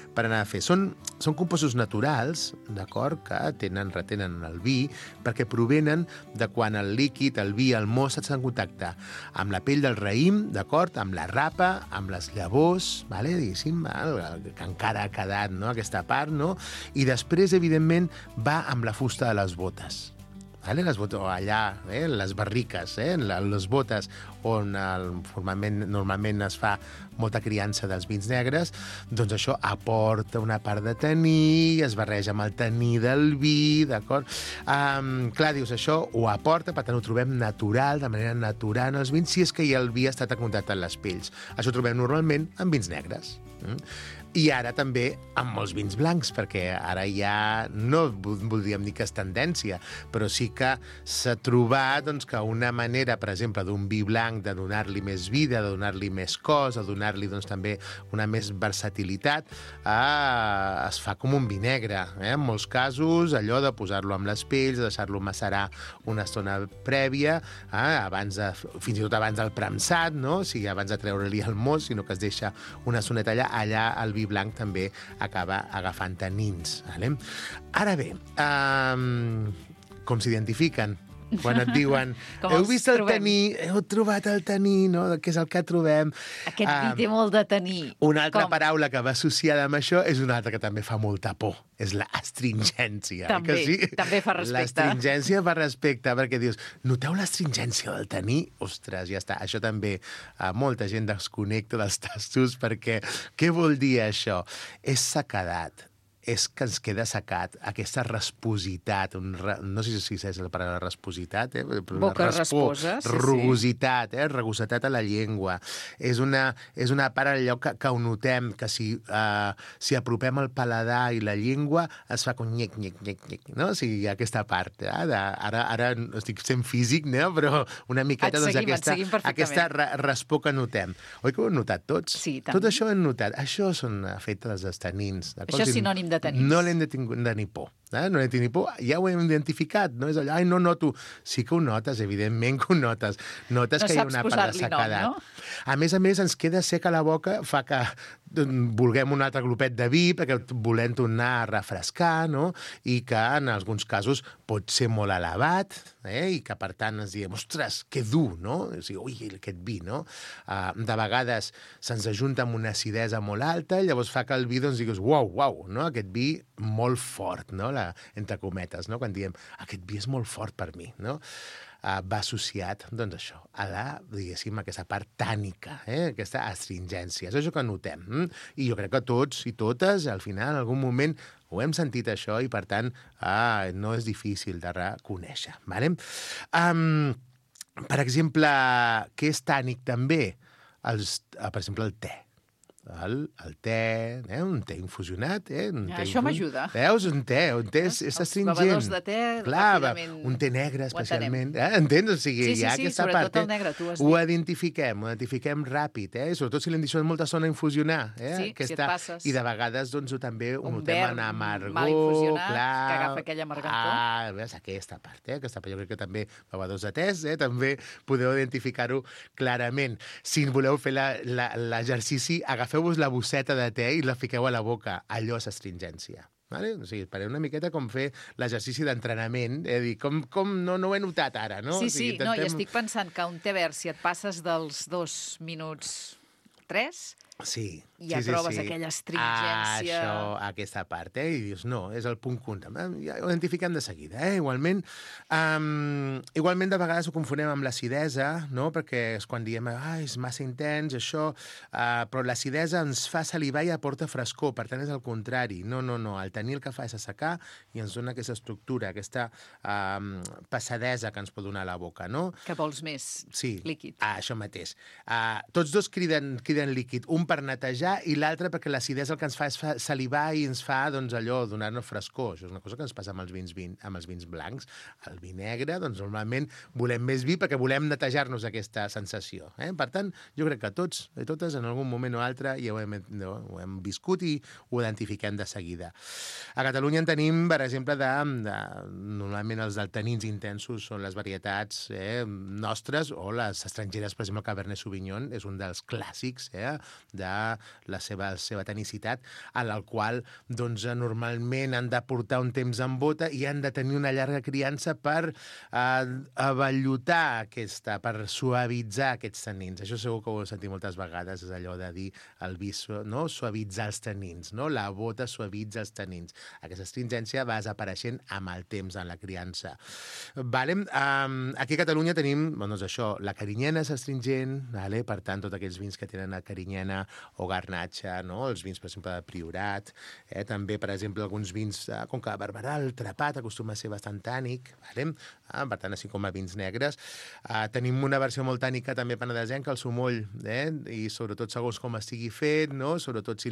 a fer. Són compostos naturals, d'acord, que retenen el vi, perquè provenen de quan el líquid, el vi, el most, estan en contacte amb la pell del raïm, d'acord, amb la rapa, amb les llavors, diguéssim, que encara ha quedat, no?, aquesta part, no?, i després, evidentment, va amb la fusta de les botes. Les botes, o allà, les barriques, les botes on normalment es fa molta criança dels vins negres, doncs això aporta una part de taní, es barreja amb el taní del vi, d'acord? Clar, dius, això ho aporta, per tant ho trobem natural, de manera natural en els vins, si és que el vi ha estat en contacte amb les pells. Això ho trobem normalment en vins negres. I ara també amb molts vins blancs, perquè ara ja no voldríem dir que és tendència, però sí que s'ha trobat que una manera, per exemple, d'un vi blanc de donar-li més vida, de donar-li més cos, de donar-li també una més versatilitat, es fa com un vi negre. En molts casos, allò de posar-lo amb les pells, de deixar-lo macerar una estona prèvia, fins i tot abans del premsat, no? O sigui, abans de treure-li el most, sinó que es deixa una estoneta allà el vi blanc també acaba agafant tanins. Ara bé, com s'identifiquen? Quan et diuen, heu vist el taní, heu trobat el taní, no? Què és el que trobem? Aquest vi té molt de taní. Una altra paraula que va associada amb això és una altra que també fa molta por. És l'astringència. També fa respecte. L'astringència fa respecte, perquè dius, noteu l'astringència del taní? Ostres, ja està. Això també molta gent desconnecta dels tastos, perquè què vol dir això? És sequedat. És que ens queda secat aquesta raspositat, no sé si és la paraula raspositat, boca rasposa, rugositat, rugositat a la llengua. És una part allò que ho notem, que si apropem el paladar i la llengua es fa com nyec, nyec, nyec, nyec, no? O sigui, aquesta part, ara estic sent físic, no? Però una miqueta aquesta raspor que notem. Oi que ho hem notat tots? Sí, tant. Tot això ho hem notat. Això són efectes dels tanins. Això és sinònim de tanins. No l'hem de tenir por. No l'hem de tenir por. Ja ho hem identificat. No és allò, no noto. Sí que ho notes, evidentment que ho notes. Notes que hi ha una part de sequedat. No? A més, ens queda seca la boca, fa que vulguem un altre glopet de vi, perquè volem tornar a refrescar, no? I que en alguns casos pot ser molt elevat, i que per tant ens diem, ostres, que dur, no? O sigui, ui, aquest vi, no? De vegades se'ns ajunta amb una acidesa molt alta, i llavors fa que el vi digues, uau, no? Aquest vi molt fort, no? entre cometes, no? Quan diem, aquest vi és molt fort per mi, no? Va associat, doncs això, a la, diguéssim, aquesta part tànica, aquesta astringència. És això que notem. I jo crec que tots i totes, al final, en algun moment, ho hem sentit això i, per tant, no és difícil de reconèixer. Vale? Per exemple, què és tànic també? Per exemple, el te. El te, un te infusionat. Això m'ajuda. Veus? Un te és astringent. Els bevedors de te, ràpidament... Un te negre, especialment. Entens? O sigui, hi ha aquesta part. Sobretot el negre, tu has dit. Ho identifiquem ràpid, sobretot si l'hem deixat molta estona a infusionar. Sí, si et passes. I de vegades, doncs, també ho notem en amargor. Mal infusionat, que agafa aquella amargantor. Veus? Aquesta part, aquesta part. Jo crec que també bevedors de tes, també podeu identificar-ho clarament. Si voleu fer l'exercici, agafeu-vos la bosseta de te i la fiqueu a la boca. Allò és astringència. Vale? O sigui, pareu una miqueta com fer l'exercici d'entrenament, dir, com no ho he notat ara, no? Sí, o sigui, no, i estic pensant que un te verd, si et passes dels 2 minuts 3, sí, ja trobes aquella astringència... Això, aquesta part, i dius, no, és el punt cunta. Ja ho identifiquem de seguida, Igualment, de vegades ho confonem amb l'acidesa, no? Perquè és quan diem, és massa intens, això, però l'acidesa ens fa salivar i aporta frescor, per tant és el contrari. No, el tenir el que fa és assecar i ens dona aquesta estructura, aquesta passadesa que ens pot donar a la boca, no? Que vols més líquid. Això mateix. Tots dos criden líquid, un per netejar i l'altre perquè l'acidesa el que ens fa és salivar i ens fa, doncs, allò, donar-nos frescor. Això és una cosa que ens passa amb els vins blancs. El vi negre, doncs, normalment volem més vi perquè volem netejar-nos aquesta sensació. Per tant, jo crec que tots i totes, en algun moment o altre, ja ho hem viscut i ho identifiquem de seguida. A Catalunya en tenim, per exemple, normalment els tanins intensos són les varietats nostres o les estrangeres, per exemple, el Cabernet Sauvignon és un dels clàssics de la seva tanicitat, en el qual doncs, normalment han de portar un temps en bota i han de tenir una llarga criança per avellotar per suavitzar aquests tanins. Això segur que ho heu sentit moltes vegades, és allò de dir el vi, no? Suavitzar els tanins, no? La bota suavitza els tanins. Aquesta astringència va desapareixent amb el temps en la criança. Vale? Aquí a Catalunya tenim, doncs això, la carinyena és astringent, per tant, tots aquells vins que tenen a carinyena o garnatxa, no? Els vins, per exemple, de Priorat, també, per exemple, alguns vins com que Barberà, el Trepat acostuma a ser bastant tànic, vale? Per tant, així com a vins negres. Tenim una versió molt tànica també penedesenca, el sumoll, i sobretot segons com estigui fet, no? Sobretot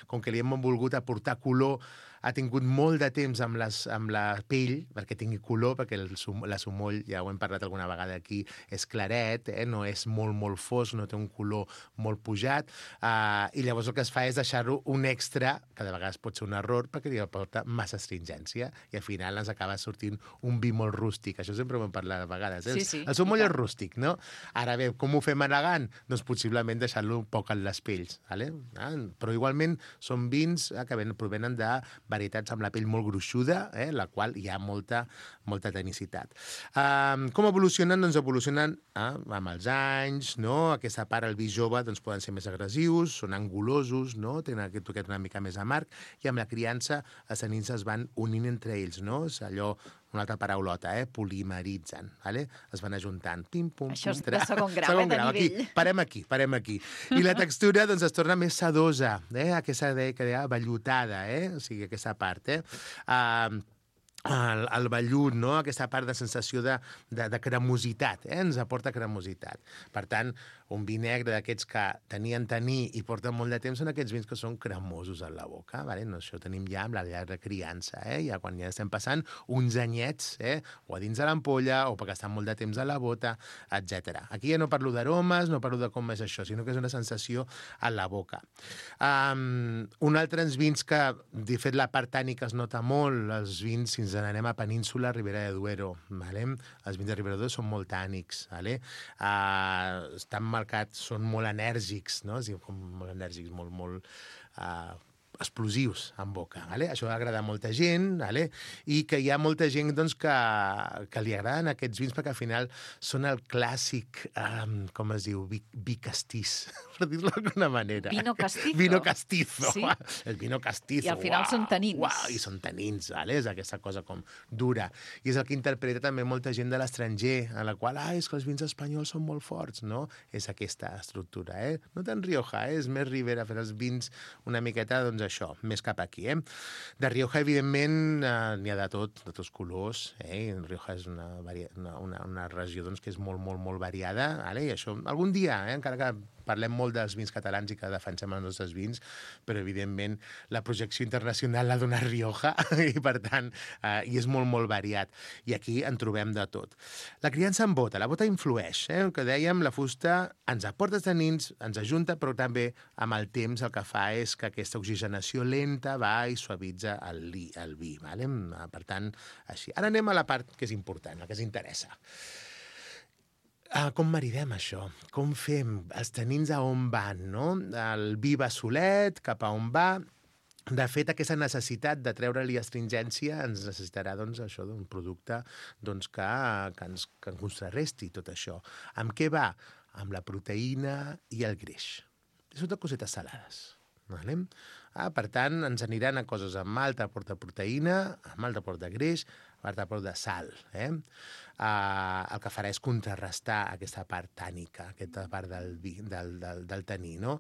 com que li hem volgut aportar color, ha tingut molt de temps amb la pell, perquè tingui color, perquè la sumoll, ja ho hem parlat alguna vegada aquí, és claret, no és molt fosc, no té un color molt pujat, i llavors el que es fa és deixar-ho un extra, que de vegades pot ser un error, perquè li aporta massa astringència, i al final ens acaba sortint un vi molt rústic. Això sempre ho hem parlat de vegades. Sí. El sumoll és rústic, no? Ara bé, com ho fem elegant? Doncs possiblement deixar-lo un poc en les pells, vale? Però igualment són vins que provenen de varietats amb la pell molt gruixuda, la qual hi ha molta tenicitat. Com evolucionen? Doncs evolucionen amb els anys, no? Aquesta part, el vi jove, doncs poden ser més agressius, són angulosos, no? Tenen aquest toquet una mica més amarg, i amb la criança els tanins es van unint entre ells, no? És allò, una altra paraulota, polimeritzen, vale? Es van ajuntant, pim-pum. Això és de segon grau, de nivell. Aquí, parem aquí. I la textura, doncs, es torna més sedosa, aquesta que deia vellutada, o sigui, aquesta part, el vellut, no? Aquesta part de sensació de cremositat, ens aporta cremositat. Per tant, un vi negre d'aquests que tenien taní i porten molt de temps són aquests vins que són cremosos a la boca, vale? No, això tenim ja amb la llarga criança, ja quan ja estem passant uns anyets, o a dins de l'ampolla, o perquè estan molt de temps a la bota, etc. Aquí ja no parlo d'aromes, no parlo de com és això, sinó que és una sensació a la boca. Un altre vins que, de fet, la part tànica es nota molt, els vins, si ens n'anem a Península, Ribera de Duero, vale? Els vins de Ribera de Duero són molt tànics, vale? Estan marcats, són molt enèrgics, no? Com molt enèrgics, molt explosius en boca. Vale? Això agrada a molta gent, vale? I que hi ha molta gent doncs, que li agraden aquests vins perquè al final són el clàssic, com es diu, vi castís, per dir-lo d'alguna manera. Vino castizo. Vino castizo. Sí? El vino castizo. I al final són tanins. Uau, i són tanins, vale? És aquesta cosa com dura. I és el que interpreta també molta gent de l'estranger, a la qual, és que els vins espanyols són molt forts, no? És aquesta estructura, No tant Rioja, és més Ribera, fer els vins una miqueta, doncs això, més cap aquí, De Rioja, evidentment, n'hi ha de tots colors, Rioja és una regió doncs, que és molt, molt, molt variada, vale? I això, algun dia, encara que parlem molt dels vins catalans i que defensem els nostres vins, però evidentment la projecció internacional l'ha donat Rioja i per tant, i és molt, molt variat. I aquí en trobem de tot. La criança en bota, la bota influeix, que dèiem, la fusta ens aporta tanins, ens ajunta, però també amb el temps el que fa és que aquesta oxigenació lenta va i suavitza el vi. Vale? Per tant, així. Ara anem a la part que és important, la que ens interessa. Com maridem això? Com fem? Els tanins a on van, no? El vi va solet, cap a on va? De fet, aquesta necessitat de treure-li astringència ens necessitarà doncs, això d'un producte doncs, que ens contrarresti tot això. Amb què va? Amb la proteïna i el greix. Són tot cosetes salades. Vale? Per tant, ens aniran a coses amb alta aport de proteïna, amb alta aport de greix, amb alta aport de sal. El que farà és contrarrestar aquesta part tànica, aquesta part del taní. No?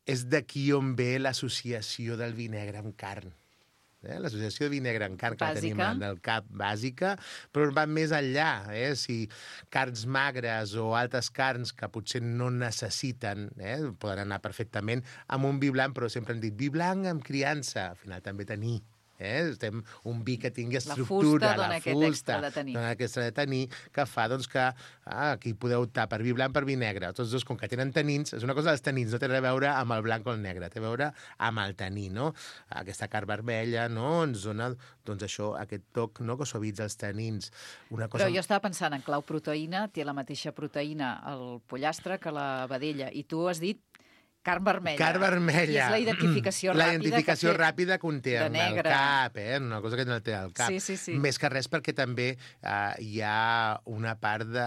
És d'aquí on ve l'associació del vi negre amb carn. L'associació de vi negre amb carn que tenim en el cap bàsica, però va més enllà. Si carns magres o altres carns que potser no necessiten, poden anar perfectament amb un vi blanc, però sempre hem dit vi blanc amb criança, al final també tenir. Estem un vi que tingui estructura, la fusta dona aquest extra de taní, que fa doncs, que aquí podeu optar per vi blanc, per vi negre. Tots dos, com que tenen tanins, és una cosa dels tanins, no té res a veure amb el blanc o el negre, té a veure amb el taní, no? Aquesta carn vermella, no? Ens dona, doncs això, aquest toc, no? Que suavitza els tanins. Però jo estava pensant en clau proteïna, té la mateixa proteïna el pollastre que la vedella, i tu has dit carn vermella. Carn vermella. I és la identificació ràpida. La identificació ràpida que té amb el cap, una cosa que no té al cap. Sí. Més que res perquè també hi ha una part de...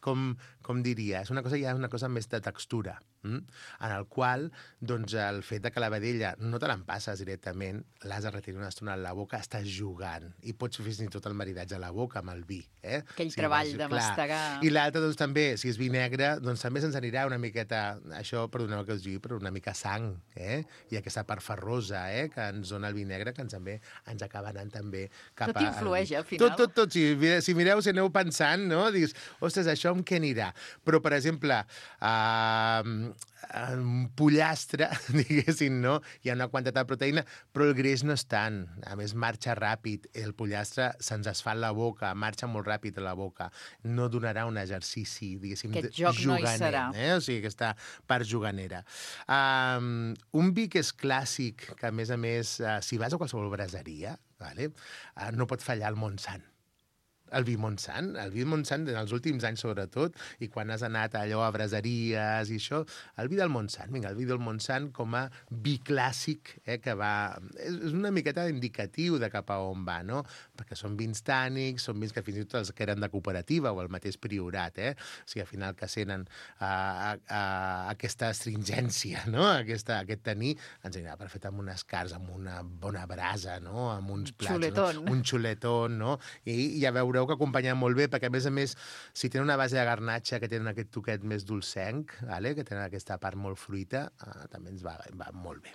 Com diria? Hi ha una cosa més de textura, en el qual doncs, el fet que la vedella no te l'empasses directament, l'has de retirar una estona a la boca, estàs jugant, i pots fer fins i tot el maridatge a la boca amb el vi. Aquell treball de mastegar. I l'altre, doncs, també, si és vi negre, doncs també se'ns anirà una miqueta, això, perdoneu que us digui, però una mica sang, i aquesta part ferrosa, que ens dona el vi negre, que també ens acaba anant també cap a... Tot influeix, al final. Tot. Si mireu, si aneu pensant, no? Dius, ostres, això amb què anirà? Però, per exemple, un pollastre, diguéssim, no? Hi ha una quantitat de proteïna, però el greix no és tant. A més, marxa ràpid. El pollastre se'ns es fa a la boca, marxa molt ràpid a la boca. No donarà un exercici, diguéssim, aquest joc juganer. No hi serà. O sigui, aquesta part juganera. Un vi que és clàssic, que a més, si vas a qualsevol braseria, no pot fallar el Montsant. El vi Montsant, en els últims anys sobretot, i quan has anat allò a braseries i això, el vi del Montsant, el vi del Montsant com a vi clàssic, que va... És una miqueta indicatiu de cap a on va, no? Perquè són vins tànics, són vins que fins i tot els que eren de cooperativa o el mateix Priorat, O sigui, al final que senten aquesta astringència, no? Aquest taní, ens anirà perfecte amb unes carns, amb una bona brasa, no? Amb uns plats, xuletón. Un xuletón, no? I ja veureu que acompanyen molt bé, perquè a més, si tenen una base de garnatxa que tenen aquest toquet més dolcenc, que tenen aquesta part molt fruita, també ens va molt bé,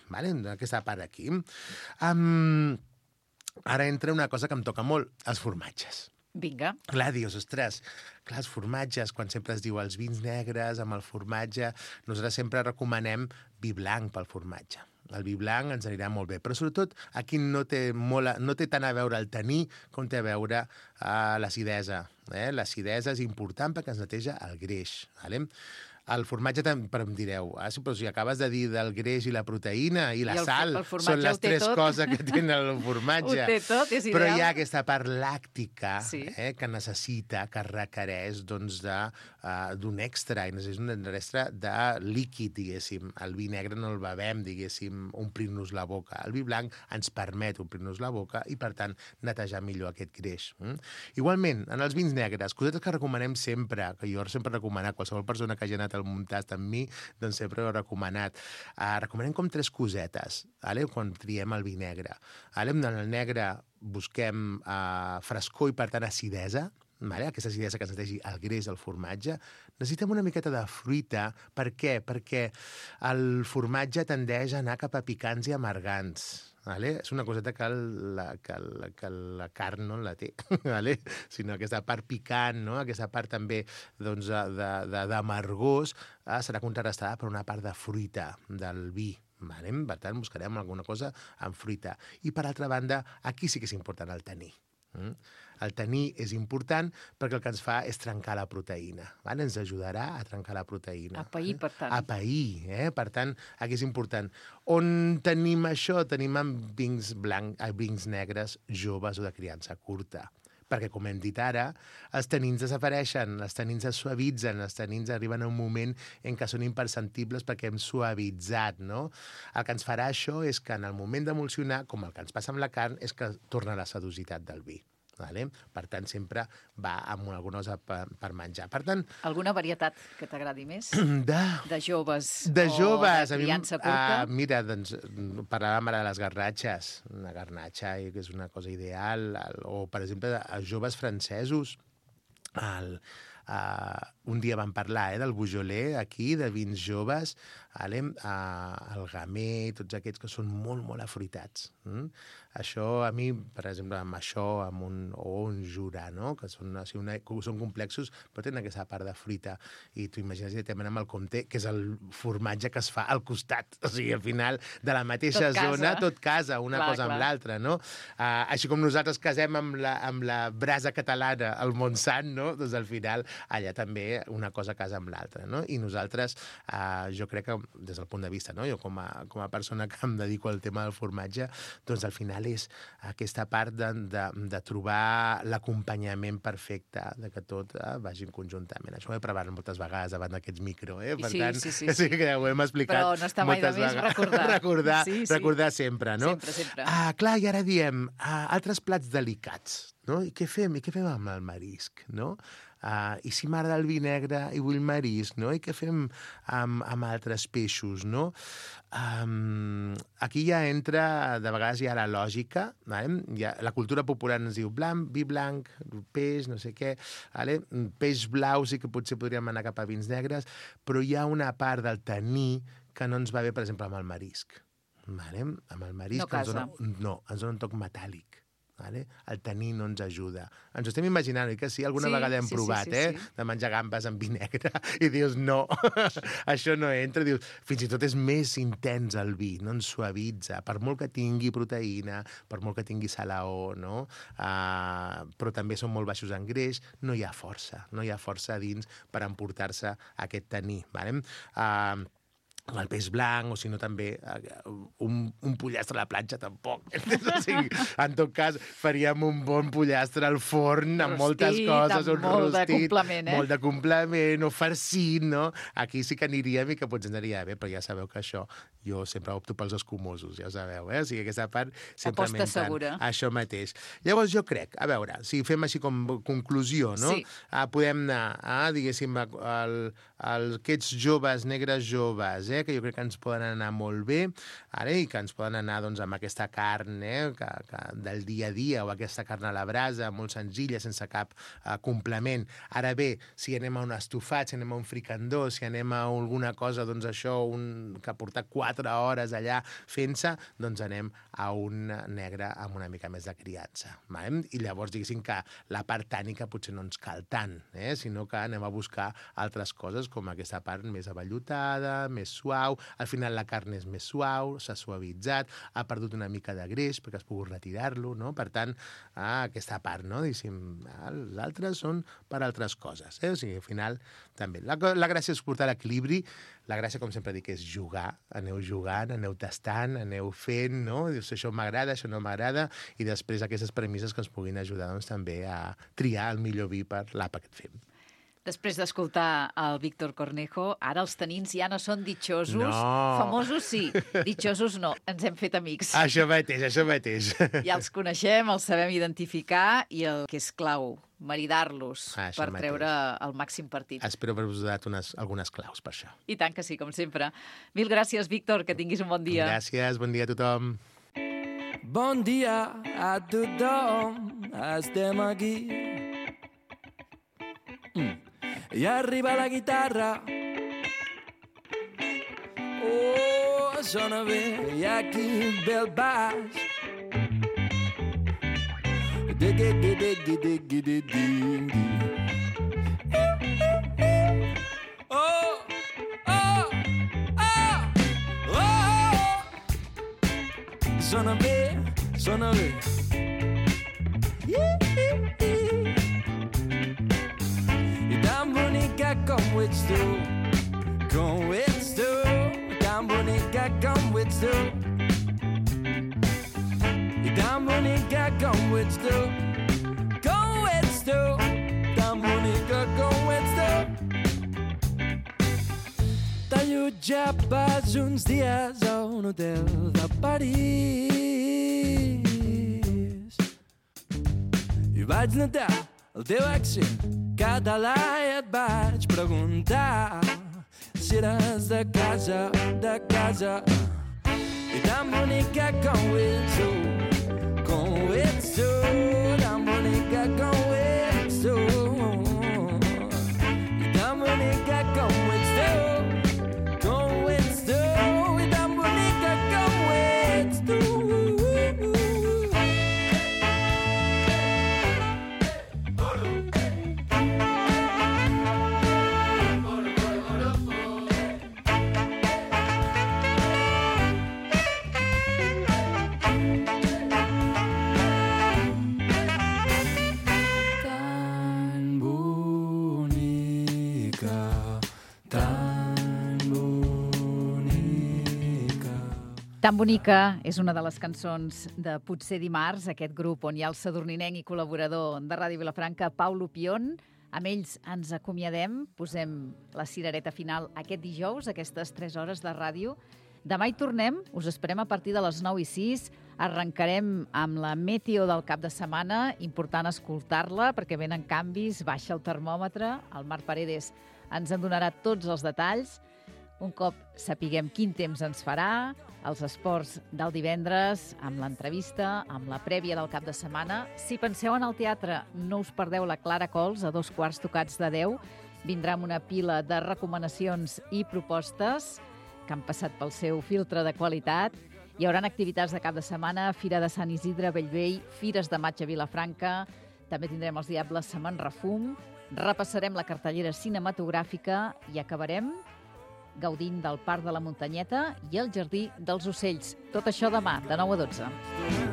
aquesta part aquí. Ara entra una cosa que em toca molt, els formatges. Vinga. Clar, dius, ostres, els formatges, quan sempre es diu els vins negres amb el formatge, nosaltres sempre recomanem vi blanc pel formatge. El vi blanc ens anirà molt bé, però sobretot aquí no té tant a veure el taní com té a veure l'acidesa. L'acidesa és important perquè ens neteja el greix. El formatge, però em direu, però si acabes de dir del greix i la proteïna i la sal, són les tres coses que té el formatge. Ho té tot, és ideal. Però hi ha aquesta part làctica que necessita, que requereix d'un extra, i necessita un extra de líquid, diguéssim. El vi negre no el bevem, diguéssim, omplir-nos la boca. El vi blanc ens permet omplir-nos la boca i, per tant, netejar millor aquest greix. Igualment, en els vins negres, cosetes que recomanem sempre, que jo sempre he recomanat, qualsevol persona que hagi anat al Muntast amb mi, doncs sempre ho he recomanat. Recomanem com 3 cosetes, quan triem el vi negre. En el negre busquem frescor i, per tant, acidesa, aquesta acidesa que ens netegi el greix del formatge. Necessitem una miqueta de fruita. Per què? Perquè el formatge tendeix a anar cap a picants i amargants. És una coseta que la carn no la té, sinó aquesta part picant, aquesta part també d'amargós, serà contrarrestada per una part de fruita del vi. Per tant, buscarem alguna cosa amb fruita. I, per altra banda, aquí sí que és important el taní. El taní és important perquè el que ens fa és trencar la proteïna. Ens ajudarà a trencar la proteïna. A pair, per tant. A pair, per tant, aquí és important. On tenim això? Tenim en vins negres joves o de criança curta. Perquè, com hem dit ara, els tanins desapareixen, els tanins es suavitzen, els tanins arriben a un moment en què són imperceptibles perquè hem suavitzat, no? El que ens farà això és que en el moment d'emulsionar, com el que ens passa amb la carn, és que torna la sedositat del vi. Per tant, sempre va amb alguna cosa per menjar. Per tant... Alguna varietat que t'agradi més? De joves de joves. O de criança curta? Mira, doncs, parlàvem ara de les garnatxes. Una garnatxa que és una cosa ideal. O, per exemple, els joves francesos. Un dia vam parlar del Beaujolais, aquí, de vins joves, el Gamay, tots aquests que són molt, molt afruitats. Això, a mi, per exemple, amb això, o un Jura, que són complexos, però tenen aquesta part de fruita. I tu imagines directament amb el Comté, que és el formatge que es fa al costat. O sigui, al final, de la mateixa zona, tot casa, una cosa amb l'altra, no? Així com nosaltres casem amb la brasa catalana, el Montsant, no? Doncs al final, allà també una cosa casa amb l'altra, no? I nosaltres, jo crec que, des del punt de vista, no? Jo com a persona que em dedico al tema del formatge, doncs al final és aquesta part de trobar l'acompanyament perfecte, de que tot vagi conjuntament. Això ho he provat moltes vegades davant d'aquests micro, Per tant, sí que ho hem explicat. Però no està mai de més recordar sempre, no? Sempre. Clar, i ara diem, altres plats delicats, no? I què fem? Amb el marisc, no? I si m'agrada el vi negre i vull marisc, no? I què fem amb altres peixos, no? Aquí ja entra, de vegades hi ha la lògica, la cultura popular ens diu vi blanc, peix, no sé què, peix blau sí que potser podríem anar cap a vins negres, però hi ha una part del taní que no ens va bé, per exemple, amb el marisc. Amb el marisc no casa. Ens dona un toc metàl·lic. El taní no ens ajuda. Ens ho estem imaginant, que sí? Alguna vegada hem provat, de menjar gambes amb vi negre, i dius, no, això no entra. Dius, fins i tot és més intens el vi, no ens suavitza, per molt que tingui proteïna, per molt que tingui salaó, no? Però també són molt baixos en greix, no hi ha força a dins per emportar-se aquest taní. El peix blanc, o si no també un pollastre a la planxa, tampoc. O sigui, en tot cas, faríem un bon pollastre al forn amb moltes coses, un rostit, molt de complement, o farcit, no? Aquí sí que aniríem i que potser ens aniria bé, però ja sabeu que això, jo sempre opto pels escumosos, ja ho sabeu, O sigui, aquesta part sempre m'entra això mateix. Llavors, jo crec, a veure, si fem així com conclusió, no? Podem anar, diguéssim, aquests joves, negres joves, que jo crec que ens poden anar molt bé, i que ens poden anar amb aquesta carn del dia a dia, o aquesta carn a la brasa, molt senzilla, sense cap complement. Ara bé, si anem a un estofat, si anem a un fricandó, si anem a alguna cosa, doncs això, que porta 4 hores allà fent-se, doncs anem a un negre amb una mica més de criança. I llavors, diguéssim que la part tànica potser no ens cal tant, sinó que anem a buscar altres coses, com aquesta part més avellutada, més suau, al final la carn és més suau, s'ha suavitzat, ha perdut una mica de greix perquè has pogut retirar-lo, no? Per tant, aquesta part, no? L'altre són per altres coses. O sigui, al final, també. La gràcia és portar l'equilibri. La gràcia, com sempre dic, és jugar. Aneu jugant, aneu tastant, aneu fent, no? Dius, això m'agrada, això no m'agrada, i després aquestes premisses que ens puguin ajudar doncs, també a triar el millor vi per l'àpat que et fem. Després d'escoltar el Víctor Cornejo, ara els tanins ja no són ditxosos. No. Famosos sí, ditxosos no. Ens hem fet amics. Això mateix. Ja els coneixem, els sabem identificar i el que és clau, maridar-los per treure el màxim partit. Espero haver-vos donat algunes claus per això. I tant que sí, com sempre. Mil gràcies, Víctor, que tinguis un bon dia. Gràcies, bon dia a tothom. Bon dia a tothom, estem aquí. I arriba la guitarra. Oh, sona bé, i aquí ve el baix. Oh, oh, oh, oh. Sona bé, sona bé. I tan bonica com ho ets tu, com ho ets tu, tan bonica com ho ets tu. I tan bonica com ho ets tu, com ho ets tu, tan bonica com ho ets tu. T'allotjaves uns dies a un hotel de París i vaig notar el teu accent català i et vaig preguntar si eres de casa, i tan bonica com ho ets tu, com ho ets tu, tan bonica com ho ets tu, i tan bonica com ho ets tu, com ho ets tu, i tan bonica com ho ets tu. Tan bonica és una de les cançons de Potser dimarts, aquest grup on hi ha el sadurninenc i col·laborador de Ràdio Vilafranca, Pau Lupion. Amb ells ens acomiadem, posem la cirereta final aquest dijous, aquestes 3 hores de ràdio. Demà hi tornem, us esperem a partir de les 9:06. Arrencarem amb la meteo del cap de setmana, important escoltar-la perquè venen canvis, baixa el termòmetre, el Marc Paredes ens en donarà tots els detalls. Un cop sapiguem quin temps ens farà, els esports del divendres, amb l'entrevista, amb la prèvia del cap de setmana. Si penseu en el teatre, no us perdeu la Clara Cols a 9:15. Vindrà amb una pila de recomanacions i propostes que han passat pel seu filtre de qualitat. Hi haurà activitats de cap de setmana, Fira de Sant Isidre a Bellvei, Fires de Maig a Vilafranca, també tindrem els Diables Semen Refum, repassarem la cartellera cinematogràfica i acabarem gaudint del Parc de la Muntanyeta i el Jardí dels Ocells. Tot això demà, de 9 a 12.